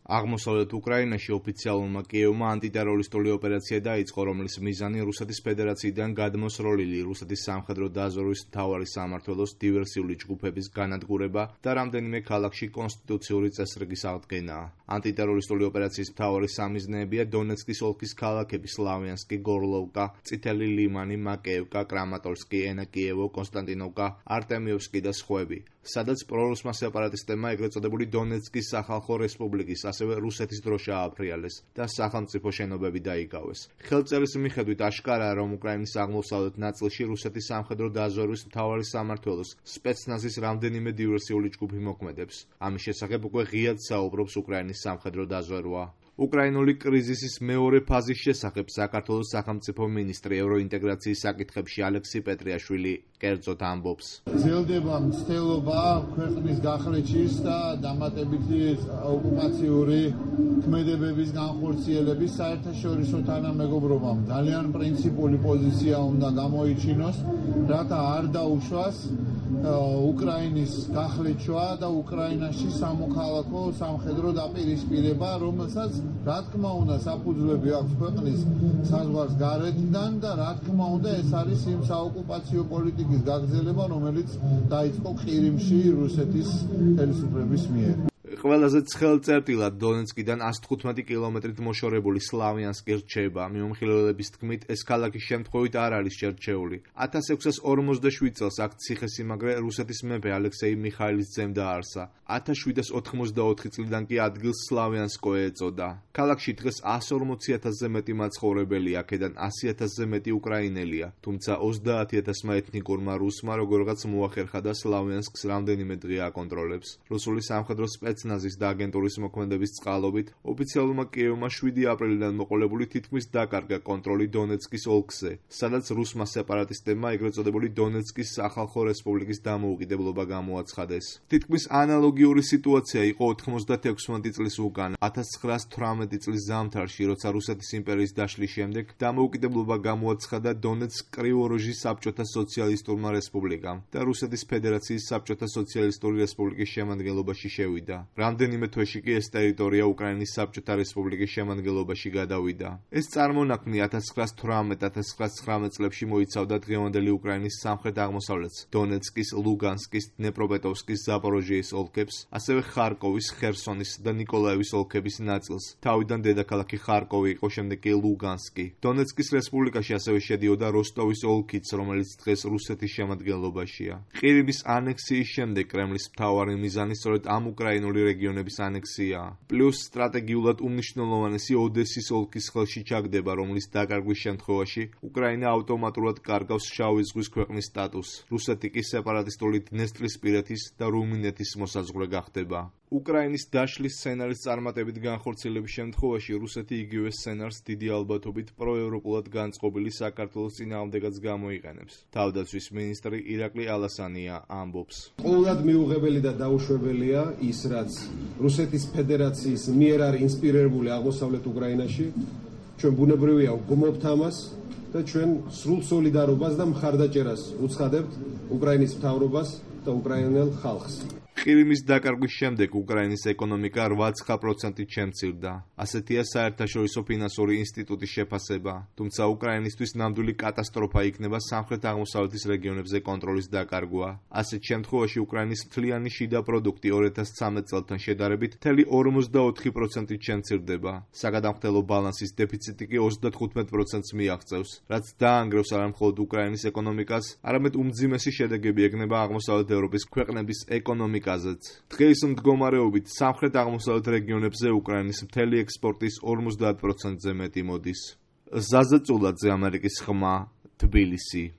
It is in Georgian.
აღმოსავლეთ უკრაინაში ოფიციალურმა კიევმა ანტიტერორისტული ოპერაცია დაიწყო, რომლის მიზანი რუსეთის ფედერაციიდან გადმოსროლილი რუსეთის სამხედრო დაზვერვის მთავარი სამმართველოს დივერსიული ჯგუფების განადგურება და რამდენიმე ქალაქში კონსტიტუციური წესრიგის აღდგენაა. ანტიტერორისტული ოპერაციის მთავარი სამიზნეებია დონეცკის ოლქის ქალაქები სლავიანსკი, გორლოვკა, წითელი ლიმანი, მაკეევკა, კრამატორსკი, ენაკიევო, კონსტანტინოვკა, არტემიევსკი და სხვები, სადაც პრორუსმა სეპარატისტებმა ეგრეთ წოდებული დონეცკის სახალხო რესპუბლიკის ასევე რუსეთის დროშა ააფრიალეს და სახელმწიფო შენობები დაიკავეს. ხელწერის მიხედვით აშკარაა, რომ უკრაინის აღმოსავლეთ ნაწილში რუსეთის სამხედრო დაზვერვის მთავარი სამმართველოს სპეცნაზის რამდენიმე დივერსიული ჯგუფი მოქმედებს. ამის შესახებ უკვე ღიად საუბრობს უკრაინის სამხედრო დაზვერვა. უკრაინული კრიზისის მეორე ფაზის შესახებ საქართველოს სახელმწიფო მინისტრი ევროინტეგრაციის საკითხებში ალექსი პეტრიაშვილი კერძოდ ამბობს. ძელდება მცდელობა ქვეყნის გახლეჩის და დამატებითი ოკუპაციური ქმედებების განხორციელების საერთაშორისო თანამეგობრობამ ძალიან პრინციპული პოზიცია უნდა გამოიჩინოს, რათა არ დაუშვას უკრაინის გახლეჩვა და უკრაინაში სამოქალაქო სამხედრო დაპირისპირება, რომელსაც რა თქმა უნდა საფუძვლები აქვს ქვეყნის საზღვარს გარეთიდან და რა თქმა უნდა ეს არის იმ საოკუპაციო პოლიტიკის გაგრძელება, რომელიც დაიწყო ყირიმში რუსეთის ხელისუფლების მიერ. ყველაზე ცხელ წერტილად დონეცკიდან 115 კილომეტრით მოშორებული სლავიანსკი რჩება. მიმოხილველების თქმით, ეს ქალაქი შემთხვევით არ არის შერჩეული. 1647 წელს აქ ციხესიმაგრე რუსეთის მეფე ალექსეი მიხაილის ძემ დააარსა. 1784 წლიდან კი ადგილს სლავიანსკო ეწოდა. ქალაქში დღეს 140,000-ზე მეტი მაცხოვრებელია, აქედან 100,000-ზე მეტი უკრაინელია, თუმცა 30,000-მა ეთნიკურმა რუსმა როგორღაც მოახერხა და სლავიანსკს რამდენიმე დღე აკონტროლებს. რუსული სამხედრო სპეცნაზის და აგენტურის მოქმედების წყალობით ოფიციალურმა კიევმა 7 აპრილიდან მოყოლებული თითქმის დაკარგა კონტროლი დონეცკის ოლქზე, სადაც რუსმა სეპარატისტებმა ეგრეთ წოდებული დონეცკის სახალხო რესპუბლიკის დამოუკიდებლობა გამოაცხადეს. თითქმის ანალოგიური სიტუაცია იყო 96 წლის უკან, 1918 წლის ზამთარში, როცა რუსეთის იმპერიის დაშლის შემდეგ დამოუკიდებლობა გამოაცხადა დონეცკ-კრივოროჟის საბჭოთა სოციალისტურმა რესპუბლიკამ და რუსეთის ფედერაციის საბჭოთა სოციალისტური რესპუბლიკის შემადგენლობაში შევიდა. რამდენიმე თვეში კი ეს ტერიტორია უკრაინის საბჭოთა რესპუბლიკის შემადგენლობაში გადავიდა. ეს წარმონაქმნი 1918-1919 წლებში მოიცავდა დღევანდელი უკრაინის სამხრეთ აღმოსავლეთს, დონეცკის, ლუგანსკის, დნეპროპეტროვსკის, ზაპოროჟიის ოლქებს, ასევე ხარკოვის, ხერსონის და ნიკოლაევის ოლქების ნაწილს. თავიდან დედაქალაქი ხარკოვი იყო, შემდეგ კი ლუგანსკი. დონეცკის რესპუბლიკაში ასევე შედიოდა როსტოვის ოლქიც, რომელიც დღეს რუსეთის შემადგენლობაშია. ყირიმის ანექსიის შემდეგ კრემლის მთავარი მიზანი სწორედ ამ უკრაინული რეგიონების ანექსიაა. პლუს სტრატეგიულად უმნიშვნელოვანესი ოდესის ოლქის ხელში ჩაგდება, რომლის დაკარგვის შემთხვევაში უკრაინა ავტომატურად კარგავს შავი ზღვის ქვეყნის სტატუსს. რუსეთი კი სეპარატისტული დნესტრისპირეთის და რუმინეთის მოსაზღვრე გახდება. უკრაინის დაშლის სცენარის წარმატებით განხორციელების შემთხვევაში რუსეთი იგივე სცენარს დიდი ალბათობით პროევროპულად განწყობილი საქართველოს წინააღმდეგაც გამოიყენებს. თავდაცვის მინისტრი ირაკლი ალასანია ამბობს. ყოველად მიუღებელი და დაუშვებელია ის, რაც რუსეთის ფედერაციის მიერ არის ინსპირირებული აღმოსავლეთ უკრაინაში. ჩვენ ბუნებრივია ვგმობთ ამას და ჩვენ სრულ სოლიდარობას და მხარდაჭერას უცხადებთ უკრაინის მთავრობას და უკრაინელ ხალხს. ყირიმის დაკარგვის შემდეგ უკრაინის ეკონომიკა 8% შემცირდა. ასეთია საერთაშორისო ფინანსური ინსტიტუტის შეფასება. თუმცა უკრაინისთვის ნამდვილი კატასტროფა იქნება სამხრეთ-აღმოსავლეთის რეგიონებზე კონტროლის დაკარგვა. ასეთ შემთხვევაში უკრაინის მთლიანი შიდა პროდუქტი 2013 წელთან შედარებით მთელი 44% შემცირდება. საგადამხდელო ბალანსის დეფიციტი კი 35%-ს მიაღწევს, რაც დაანგრევს არა მხოლოდ უკრაინის ეკონომიკას, არამედ უმძიმესი შედეგები ექნება აღმოსავლეთ ევროპის ქვეყნების ეკონომიკაზე. დღეის მდგომარეობით სამხრეთ-აღმოსავლეთ რეგიონებზე უკრაინის მთელი ექსპორტის 50%-ზე მეტი მოდის. ზაზა წულაძე, ამერიკის ხმა, თბილისი.